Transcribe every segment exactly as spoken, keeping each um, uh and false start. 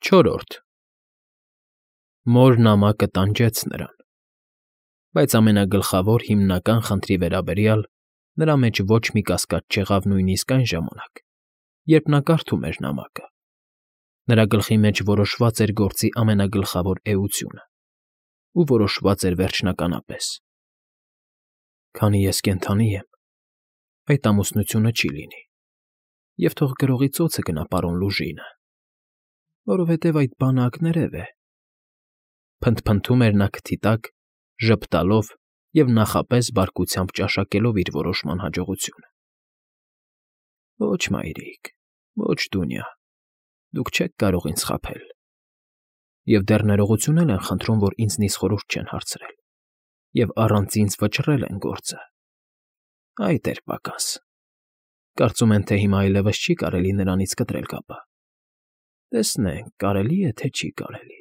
Չորրորդ Մոր նամակը տանջեց նրան, բայց ամենագլխավոր, հիմնական խնդրի վերաբերյալ նրա մեջ ոչ մի կասկած չեղավ նույնիսկ այն ժամանակ, երբ նա կարդում էր նամակը. նրա գլխի մեջ որոշված էր գործի ամենագլխավոր էությունը ու որոշված էր վերջնականապես. «Քանի ես կենդանի եմ, այդ ամուսնությունը չի լինի, և թող գրողի ծոցը գնա պարոն Լուժինը, որովհետև այդ բանը ակներև է», փնթփնթում էր նա քթի տակ, ժպտալով և նախապես բարկությամբ ճաշակելով իր որոշման հաջողությունը։ «Ոչ, մայրիկ, ոչ, Դունյա, դուք չեք կարող ինձ խաբել, և դեռ ներողություն էլ են խնդրում, որ ինձնից խորհուրդ չեն հարցրել և առանց ինձ վճռել են գործը։ Այդ էր պակաս. կարծում են, թե հիմա այլևս չի կարելի նրանից կտրել կապը։ Տեսնենք, կարելի է, թե չի կարելի։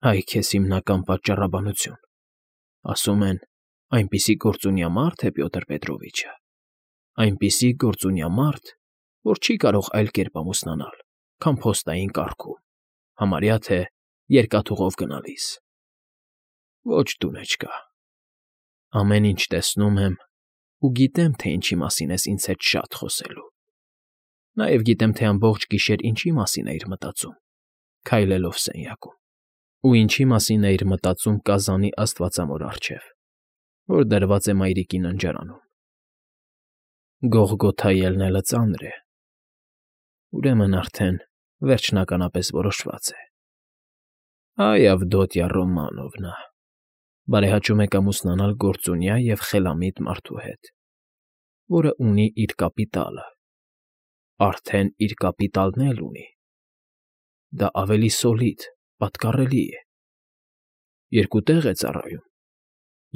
Այ քեզ հիմնական պատճառաբանություն. ասում են, այնպիսի գործունյա մարդ է Պյոտր Պետրովիչը, այնպիսի գործունյա մարդ, որ չի կարող այլ կերպ ամուսնանալ, քան փոստային կարգում, համարյա թե երկաթուղով գնալիս։ Ոչ, Դունեչկա, ամեն ինչ տեսնում եմ ու գիտեմ, թե ինչի մասին ես ինձ հետ շատ խոսելու, նաև գիտեմ, թե ամբողջ գիշեր ինչի մասին էիր մտածում, քայլելով սենյակում, ու ինչի մասին էիր մտածում կազանի աստվածամոր առջև, որ դրված է մայրիկի ննջարանում։ Գողգոթայի ելնելը ծանր է, ուրեմն արդեն վերջնականապես որոշված է։ Այ Ավդոտյա Ռոմանովնա, բարեհաճում եք ամուսնանալ գործունյա և խելամիտ մարդու հետ, որը ունի իր կապիտալը, արդեն իր կապիտալն էլ ունի։ Դա ավելի սոլիդ, պատկառելի է, երկու տեղ է ծառայում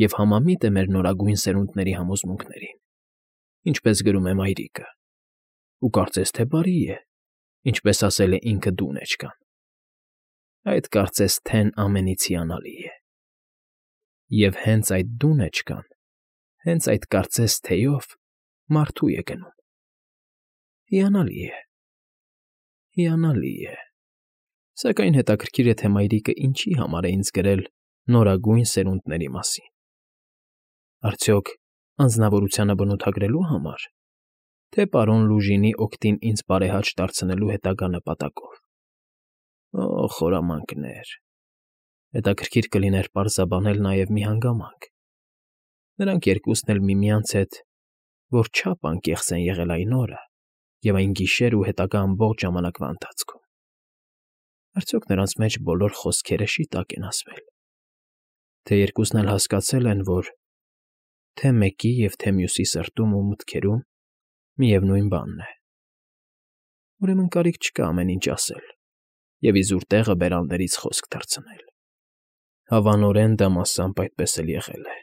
և համամիտ է մեր նորագույն սերունդների համոզմունքներին, ինչպես գրում է մայրիկը, ու կարծես թե բարի է, ինչպես ասել է ինքը Դունեչկան։ Այդ կարծես թեն ամենից հիանալի է։ Եվ հենց այդ Դունեչկան, հենց այդ կարծես թեյով մարդու է գնում։ Հիանալի է, հիանալի է։ Սակայն հետաքրքիր է, թե մայրիկը ինչի համար է ինձ գրել նորագույն սերունդների մասին։ Արդյոք անձնավորությանը բնութագրելու համար, թե պարոն Լուժինի օգտին ինձ բարեհաճ դարձնելու հետագա նպատակով։ Օ՜, խորամանկներ, հետաքրքիր կլիներ պարզաբանել նաև մի հանգամանք. նրանք երկուսն էլ միմյանց հետ որչափ անկեղծ են եղել այն օրը և այն գիշեր ու հետագա ամբողջ ժամանակվա ընթացքում։ Արդյոք նրանց մեջ բոլոր խոսքերը շիտակ են ասվել, թե երկուսն էլ հասկացել են, որ թե մեկի և թե մյուսի սրտում ու մտքերում միևնույն բանն է։ Ուրեմն կարիք չկա ամեն ինչ ասել և իզուր տեղը բերաններից խոսք թռցնել։ Հավանորեն դա մասամբ այդպես էլ եղել է։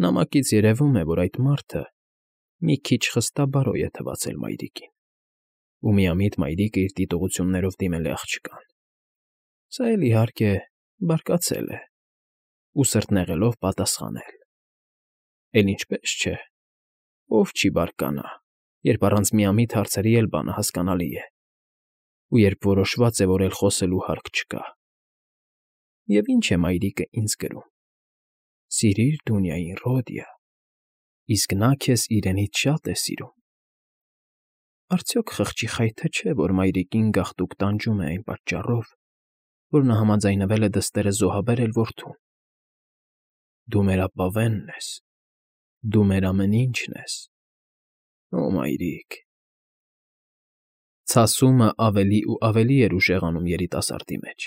Նամակից երևում է, որ այդ մարդը մի քիչ խստաբարոյ է թվացել մայրիկին, ու միամիտ մայրիկը իր դիտողություններով դիմել է աղջկան։ Սա էլ, իհարկե, բարկացել է ու սրտնեղելով պատասխանել։ Էլ ինչպես չէ, ով չի բարկանա, երբ առանց միամիտ հարցերի էլ բանը հասկանալի է, ու երբ որոշված է, որ էլ խոսելու հարկ չկա։ Եվ ինչ է մայրիկը ինձ գրում. «Սիրիր Դունյային, Ռոդիա, իսկ նա քեզ իրենից շատ է սիրում»։ Արդյոք խղճի խայթը չէ, որ մայրիկին գաղտուկ տանջում է այն պատճառով, որ նա համաձայնվել է դստերը զոհաբերել որդուն։ Դու մեր ապավենն ես, դու մեր ամեն ինչն ես, օ մայրիկ… Ցասումը ավելի ու ավելի էր ուժեղանում երիտասարդի մեջ,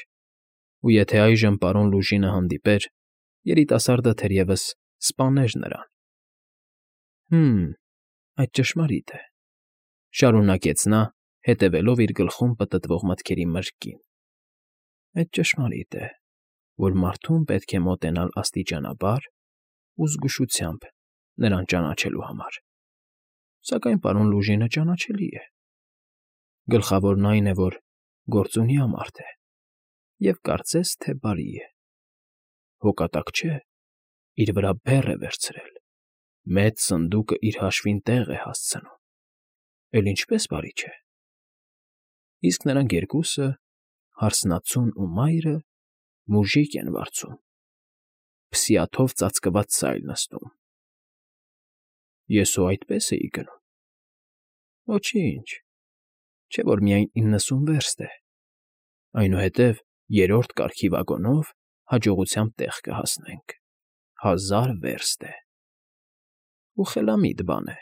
ու եթե այժմ պարոն Լուժինը հանդիպեր, երիտասարդը թերևս սպաներ նրան։ «Հը՛մ, այդ ճշմարիտ է,֊ շարունակեց նա, հետևելով իր գլխում պտտվող մտքերի մրրկին,֊ այդ ճշմարիտ է, որ մարդուն պետք է մոտենալ աստիճանաբար ու զգուշությամբ նրան ճանաչելու համար, սակայն պարոն Լուժինը ճանաչելի է։ Գլխավորն այն է, որ գործունյա մարդ է և կարծես թե բարի է։ Հոգատակ չէ, իր վրա բեռ է վերցրել, մեծ սնդուկը իր հաշվին տեղ է հասցնում, էլ ինչպե՜ս բարի չէ։ իսկ նրանք երկուսը, հարսնացուն ու մայրը, մուժիկ են վարձում, փսիաթով ծածկված սայլ նստում։ Ես ու այդպես էի գնում։ Ոչինչ, չէ որ միայն իննսուն վերստ է, այնուհետև երրորդ կարգի վագոնով հաջողությամբ տեղ կհասնենք, հազար վերստ է։ Ու խելամիտ բան է,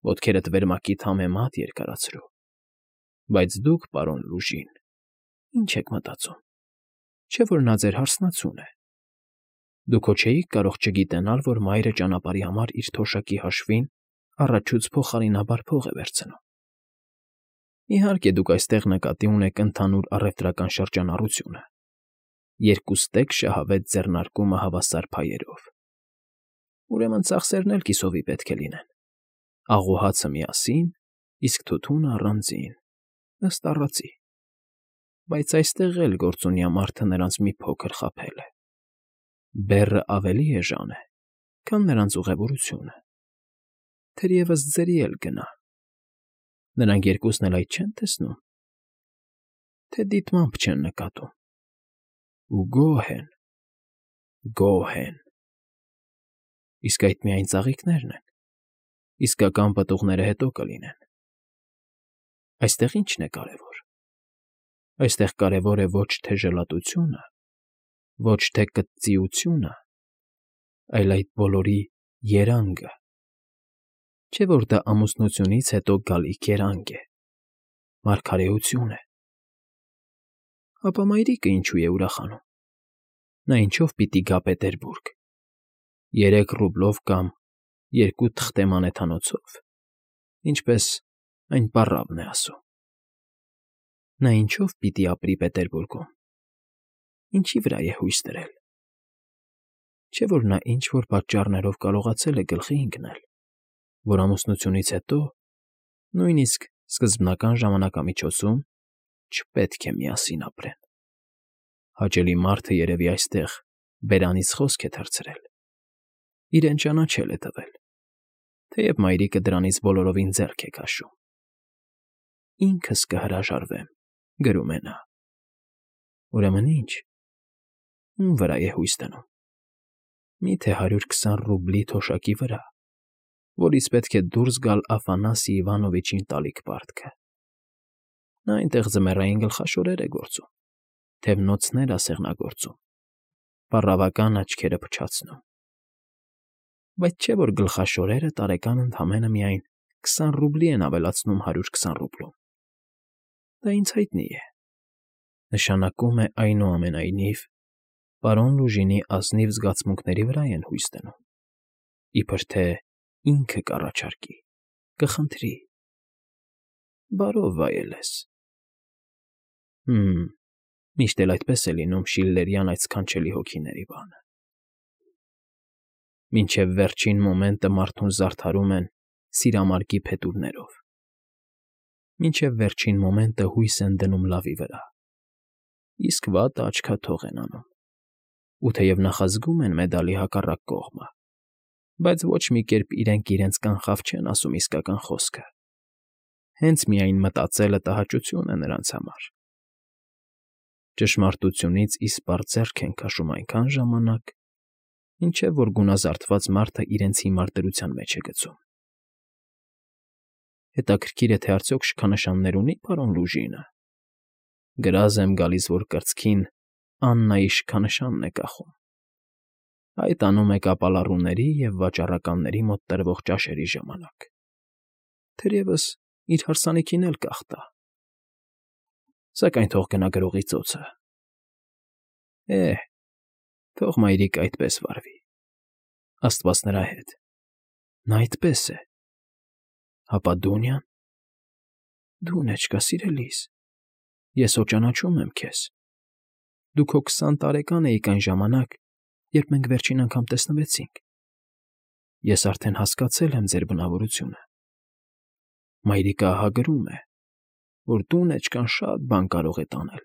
ոտքերդ վերմակիդ համեմատ երկարացրու, բայց դուք, պարոն Լուժին, ինչ եք մտածում, չէ որ նա ձեր հարսնացուն է։ Դուք հո չէիք կարող չգիտենալ, որ մայրը ճանապարհի համար իր թոշակի հաշվին առաջուց փոխարինաբար փող է վերցնում։ Իհարկե, դուք այստեղ նկատի ունեք ընդհանուր առևտրական շրջանառությունը, երկուստեք շահավետ ձեռնարկումը հավասար փայերով։ Ուրեմն ծախսերն էլ կիսովի պետք է լինեն, աղուհացը միասին, իսկ թութունը առանձին, ըստ առածի։ Բայց այստեղ էլ գործունյա մարդը նրանց մի փոքր խաբել է։ Բեռը ավելի էժան է, քան նրանց ուղևորությունը։ Թերևս ձերի էլ գնա։ Նրանք երկուսն էլ այդ չեն տեսնում, թե դիտմամբ չեն նկատում։ Ու գոհ են, գոհ են։ Իսկ այդ միայն ծաղիկներն են, իսկական պտուղները հետո կլինեն։ Այստեղ ի՞նչն է կարևոր։ Այստեղ կարևոր է ոչ թե ժլատությունը, ոչ թե կծիությունը, այլ այդ բոլորի երանգը։ Չէ որ դա ամուսնությունից հետո գալիք երանգ է, մարգարեություն է։ Ապա մայրիկը ինչու է ուրախանում։ Նա ինչով պիտի գա Պետերբուրգ, երեք ռուբլով կամ երկու թղթե մանեթանոցով, ինչպես այն պառավն է ասում։ Նա ինչով պիտի ապրի Պետերբուրգում, ինչի վրա է հույս դրել։ Չէ որ նա ինչ֊որ պատճառներով կարողացել է գլխի ընկնել, որ ամուսնությունից հետո, նույնիսկ սկզբնական ժամանակամիջոցում չպետք է միասին ապրեն։ Հաճելի մարդը երևի այստեղ բերանից խոսք է թռցրել, իրեն ճանաչել է տվել, թեև մայրիկը դրանից բոլորովին ձեռք է քաշում։ Ինքս կհրաժարվեմ, գրում է նա։ Ուրեմն ինչ, ում վրա է հույս դնում։ Մի՞թե հարյուր քսան ռուբլի թոշակի վրա, որից պետք է դուրս գալ Աֆանասի Իվանովիչին տալիք պարտքը։ Նա այնտեղ ձմեռային գլխաշորեր է գործում, թևնոցներ ասեղնագործում, պառավական աչքերը փչացնում։ Բայց չէ որ գլխաշորերը տարեկան ընդամենը միայն քսան ռուբլի են ավելացնում հարյուր քսան ռուբլում։ Դա ինձ հայտնի է։ Նշանակում է այնուամենայնիվ, պարոն Լուժինի ազնիվ զգացմունքների վրա են հույս դնում, իբր թե ինքը կառաջարկի, կխնդրի։ Բարով վայելես։ Հմ, միշտ էլ այդպես է լինում շիլլերյան այդ սքանչելի հոգիների բանը։ Մինչև վերջին մոմենտը մարդուն զարդարում են սիրամարգի փետուրներով։ Մինչև վերջին մոմենտը հույս են դնում լավի վրա, իսկ վատը աչքաթող են անում։ Ու թեև նախազգում են մեդալի հակառակ կողմը, բայց ոչ մի կերպ իրենք իրենց կանխավ չեն ասում իսկական խոսքը։ Հենց միայն մտածելը տհաճություն է նրանց համար։ Ճշմարտությունից իսպառ ձեռք են քաշում այնքան ժամանակ, մինչև որ գունազարդված մարդը իրենց հիմար դրության մեջ է գցում։ Հետաքրքիր է, թե արդյոք շքանշաններ ունի պարոն Լուժինը։ Գրազ եմ գալիս, որ կրծքին Աննայի շքանշանն է կախում։ Այդ անում է կապալառուների և վաճառականների մոտ տրվող ճաշերի ժամանակ։ Թերևս իր հարսանիքին էլ կախտա։ Սակայն թող գնա գրողի ծոցը։ Է՜, թող մայրիկը այդպես վարվի։ Աստված նրա հետ։ Նա այդպես է։ Հապա Դունյան։ Դունեչկա, սիրելիս, ես հո ճանաչում եմ քեզ։ Դու քո քսան տարեկան էիք այն ժամանակ, երբ մենք վերջին անգամ տեսնվեցինք։ Ես արդեն հասկացել եմ ձեր բնավորությունը։ Մայրիկը ահա գրում է, որ Դունեչկան շատ բան կարող է տանել։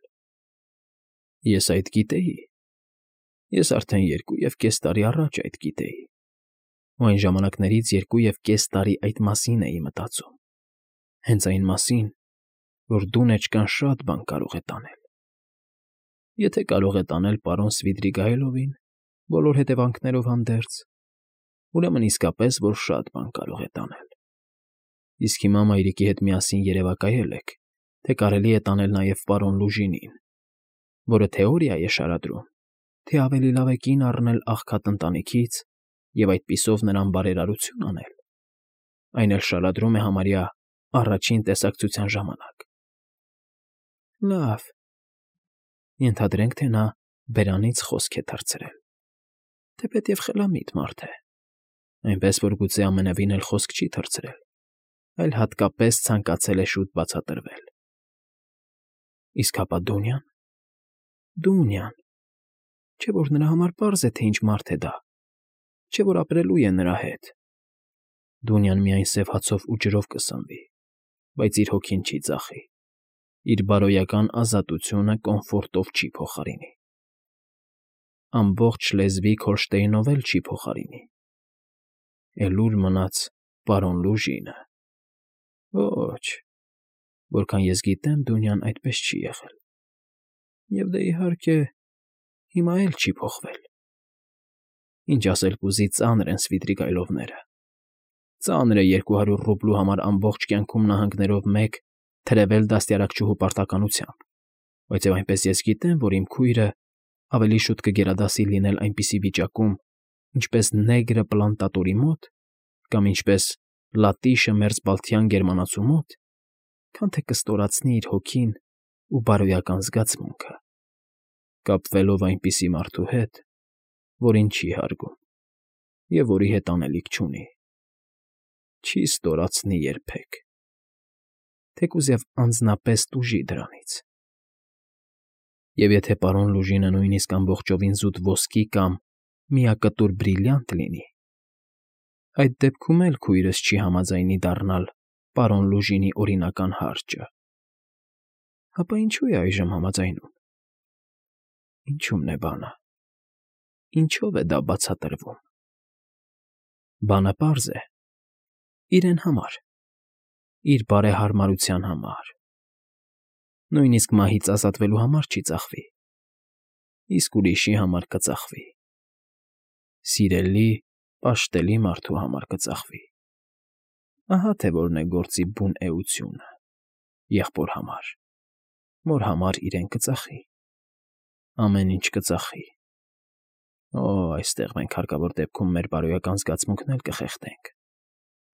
Ես այդ գիտեի։ Ես արդեն երկու և կես տարի առաջ այդ գիտեի։ Ու այն ժամանակներից երկու և կես տարի այդ մասին էի մտածում։ Հենց այն մասին, որ դունեջկան շատ բան կարող է տանել։ Եթե կարող է տանել պարոն Սվիդրիգայլովին բոլոր հետևանքներով հանդերձ, ուրեմն իսկապես որ շատ բան կարող է տանել։ Իսկ հիմա մայրիկի հետ միասին երևակայել եք, թե կարելի է տանել նաև պարոն Լուժինին, որը թեորիա է շարադրում, թե ավելի լավ է կին առնել աղքատ ընտանիքից և այդպիսով նրան բարերարություն անել, այն էլ շարադրում է համարյա առաջին տեսակցության ժամանակ։ Լավ, ենթադրենք, թե նա բերանից խոսք է թռցրել, թեպետև խելամիտ մարդ է, այնպես որ գուցե ամենևին էլ խոսք չի թռցրել, այլ հատկապես ցանկացել է շուտ բացատրվել։ Իսկ հապա Դունյան… Դունյան… Չէ՞ որ նրա համար պարզ է, թե ինչ մարդ է դա, չէ՞ որ ապրելու է նրա հետ։ Դունյան միայն սև հացով ու ջրով կսնվի, բայց իր հոգին չի ծախի, իր բարոյական ազատությունը կոմֆորտով չի փոխարինի, ամբողջ Շլեզվիգ Հոլշտեյնով էլ չի փոխարինի, էլ ուր մնաց պարոն Լուժինը… Ոչ, որքան ես գիտեմ, Դունյան այդպես չի եղել, և դե, իհարկե, հիմա էլ չի փոխվել։ Ինչ ասել կուզի, ծանր են Սվիդրիգայլովները, ծանր է երկու հարյուր ռուբլու համար ամբողջ կյանքում նահանգներով մեկ թրևել դաստիարակչուհու պարտականությամբ, բայց և այնպես ես գիտեմ, որ իմ քույրը ավելի շուտ կգերադասի լինել այնպիսի վիճակում, ինչպես Նեգրը պլանտատորի մոտ կամ ինչպես Լատիշը մերձբալթյան գերմանացու մոտ, քան թե կստորացնի իր հոգին ու բարոյական զգացմունքը, կապվելով այնպիսի մարդու հետ, որին չի հարգում և որի հետ անելիք չունի, չի ստորացնի երբեք, թեկուզ և անձնապես տուժի դրանից։ Եվ եթե պարոն Լուժինը նույնիսկ ամբողջովին զուտ ոսկի կամ միակտուր բրիլյանտ լինի, այդ դեպքում էլ քույրս չի համաձայնի դառնալ պարոն Լուժինի օրինական հարճը։ Հապա ինչո՞ւ է այժմ համաձայնում։ Ինչո՞ւմն է բանը, ինչո՞վ է դա բացատրվում։ Բանը պարզ է. իրեն համար, իր բարեհարմարության համար, նույնիսկ մահից ազատվելու համար չի ծախվի, իսկ ուրիշի համար կծախվի, սիրելի, պաշտելի մարդու համար կծախվի, ահա թե որն է գործի բուն էությունը, եղբոր համար, որ համար իրեն կծախի, ամեն ինչ կծախի։ Օ, այստեղ մենք հարկավոր դեպքում մեր բարոյական զգացմունքն էլ կխեղդենք,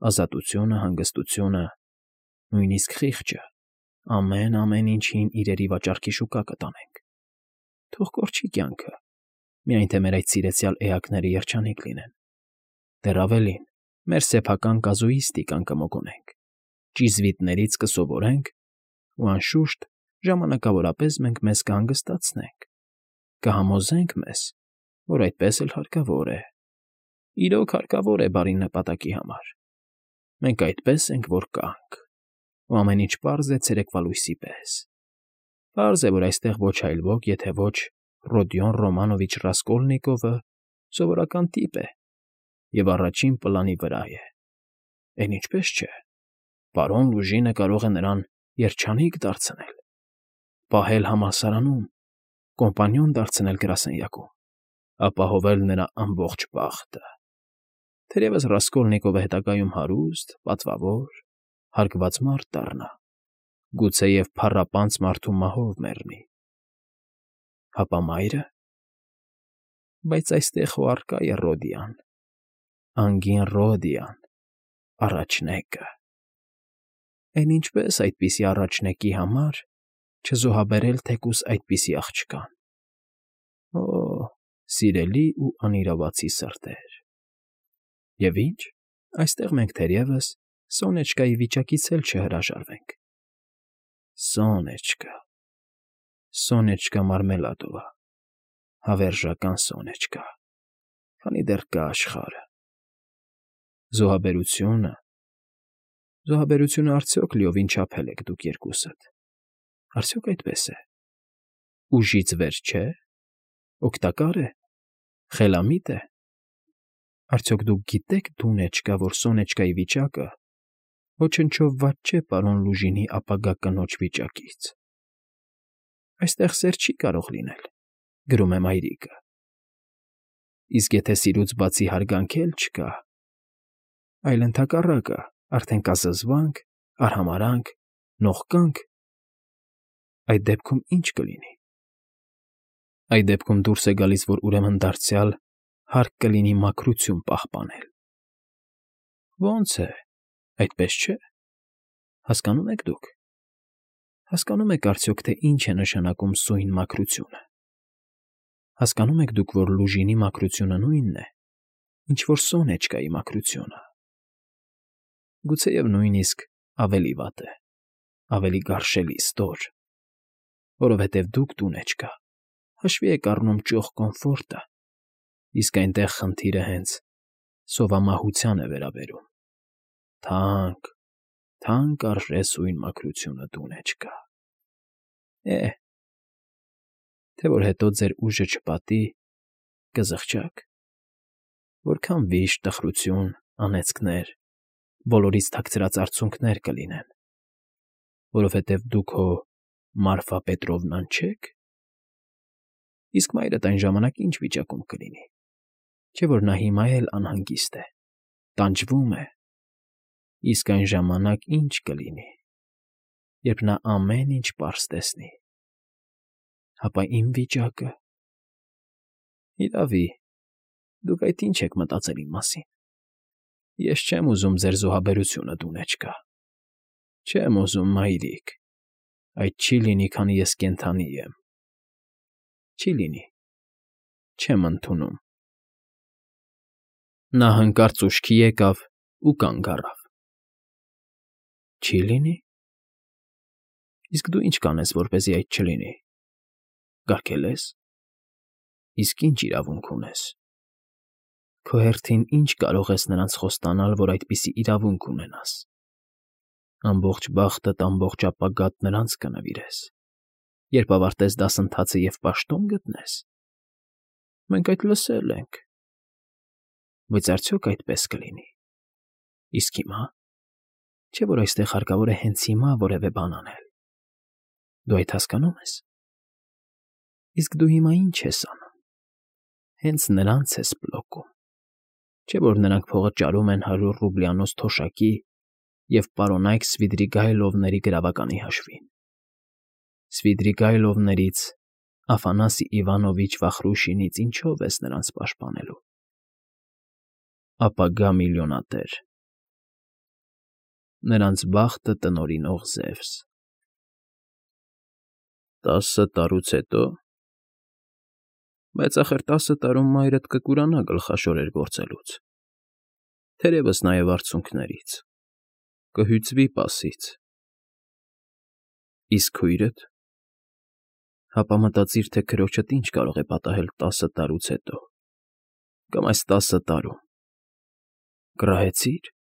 ազատությունը, հանգստությունը, նույնիսկ խիղճը, ամեն֊ամեն ինչին իրերի վաճառքի շուկա կտանենք, թող կորչի կյանքը, միայն թե մեր այդ սիրեցյալ էակները երջանիկ լինեն, դեռ ավելին, մեր սեփական կազուիստիկան կմոգոնենք, ճիզվիտներից կսովորենք ու, անշուշտ, ժամանակավորապես մենք մեզ կհանգստացնենք, կհամոզենք մեզ, որ այդպես էլ հարկավոր է, իրոք հարկավոր է բարի նպատակի համար, մենք այդպես ենք, որ կանք, ու ամեն ինչ պարզ է ցերեկվա լույսի պես, պարզ է, որ այստեղ ոչ այլ ոք, եթե ոչ Ռոդիոն Ռոմանովիչ Ռասկոլնիկովը սովորական տիպ է և առաջին պլանի վրա է, էն ինչպես չէ, պարոն Լուժինը կարող է նրան երջանիկ դարձնել, պահել համալսարանում, կոմպանիոն դարձնել գրասենյակում, ապահովել նրա ամբողջ բախտը, թերևս Ռասկոլնիկովը հետագայում հարուստ, պատվավոր, հարգված մարդ դառնա, գուցեև փառապանծ մարդու մահով մեռնի։ Հապա մայրը… Բայց այստեղ հո առկա է Ռոդիան, անգին Ռոդիան, առաջնեկը… Էն ինչպե՞ս այդպիսի առաջնեկի համար չզոհաբերել թեկուզ այդպիսի աղջկան։ Օ, սիրելի ու անիրավացի սրտեր… Եվ ինչ, այստեղ մենք թերևս Սոնեչկայի վիճակից էլ չհրաժարվենք։ Սոնեչկա… Սոնեչկա Մարմելադովա, հավերժական Սոնեչկա, քանի դեռ կա աշխարհը… Զոհաբերությունը… Զոհաբերությունը արդյոք լիովին չափել եք դուք երկուսդ, արդյոք այդպես է… Ուժից վեր չէ՞, օգտակա՞ր է, խելամիտ է… Արդյոք դուք գիտե՞ք, դունեջկա, որ Սոնեչկայի վիճակը Ոչնչով վատ չէ պարոն Լուժինի ապագա կնոջ վիճակից։ Այստեղ սեր չի կարող լինել, գրում է մայրիկը։ Իսկ եթե սիրուց բացի հարգանք էլ չկա, այլ ընդհակառակը, արդեն կա զզվանք, արհամարհանք, նողկանք, այդ դեպքում ի՞նչ կլինի։ Այդ դեպքում դուրս է գալիս, որ ուրեմն դարձյալ հարկ կլինի մաքրություն պահպանել։ Ո՞նց է, այդպես չէ։ Հասկանո՞ւմ եք դուք։ Հասկանո՞մ եք արդյոք, թե ինչ է նշանակում սույն մաքրությունը։ Հասկանո՞մ եք դուք, որ Լուժինի մաքրությունը նույնն է, ինչ որ Սոնեչկայի մաքրությունը։ Գուցեև նույնիսկ ավելի վատ է, ավելի գարշելի, ստոր, որովհետև դուք տուն չկա, հաշվի եք առնում ճոխ կոմֆորտը, իսկ այնտեղ խնդիրը հենց սովամահության է վերաբերում։ Թանկ, թանկ արժե սույն մաքրությունը տուն չկա։ Է՜, թե որ հետո ձեր ուժը չպատի, կզղջաք, որքան վիշտ, տխրություն, անեծքներ, բոլորից թաքցրած արցունքներ կլինեն, որովհետև դուք հո Մարֆա Պետրովնան չեք։ Իսկ մայրդ այն ժամանակ ի՞նչ վիճակում կլինի, չէ՞ որ նա հիմա էլ անհանգիստ է, տանջվում է, իսկ այն ժամանակ ի՞նչ կլինի, երբ նա ամեն ինչ պարզ տեսնի։ Հապա իմ վիճակը… Իրավի, դուք այդ ի՞նչ եք մտածել իմ մասին։ Ես չեմ ուզում ձեր զոհաբերությունը տուն չկա։ Չեմ ուզում, մայրիկ, այդ չի լինի, քանի ես կենդանի եմ։ Չի լինի, չեմ ընդունում։ Նա հանկարծ ուշքի եկավ ու կանգ առավ։ Չի լինի։ Իսկ դու ի՞նչ կանես, որպեսզի այդ չլինի։ Կարգել ես։ Իսկ ի՞նչ իրավունք ունես։ Քո հերթին ի՞նչ կարող ես նրանց խոստանալ, որ այդպիսի իրավունք ունենաս։ Ամբողջ բախտդ, ամբողջ ապագադ նրանց կնվիրես, երբ ավարտես դասընթացը և պաշտոն գտնես։ Մենք այդ լսել ենք։ Բայց արդյոք այդպես կլինի։ Իսկ հիմա… Չէ՞ որ այստեղ հարկավոր է հենց հիմա որևէ բան անել։ Դու այդ հասկանո՞ւմ ես։ Իսկ դու հիմա ի՞նչ ես անում։ Հենց նրանց ես պլոկում։ Չէ՞ որ նրանք փողը ճարում են հարյուր ռուբլյանոց թոշակի և պարոնայք Սվիդրիգայլովների գրավականի հաշվին։ Սվիդրիգայլովներից, Աֆանասի Իվանովիչ Վախրուշինից ինչո՞վ ես նրանց պաշտպանելու։ Ապագա միլիոնատեր։ Նրանց բախտը տնօրինող Զևս։ Տասը տարուց հետո… Բայց ախր տասը տարում մայրդ կկուրանա գլխաշորեր գործելուց, թերևս նաև արցունքներից, կհյուծվի պասից։ Իսկ քույրդ… Հապա մտածիր, թե քրոջդ ինչ կարող է պատահել տասը տարուց հետո, կամ այս տասը տարում… Կռահեցի՞ր։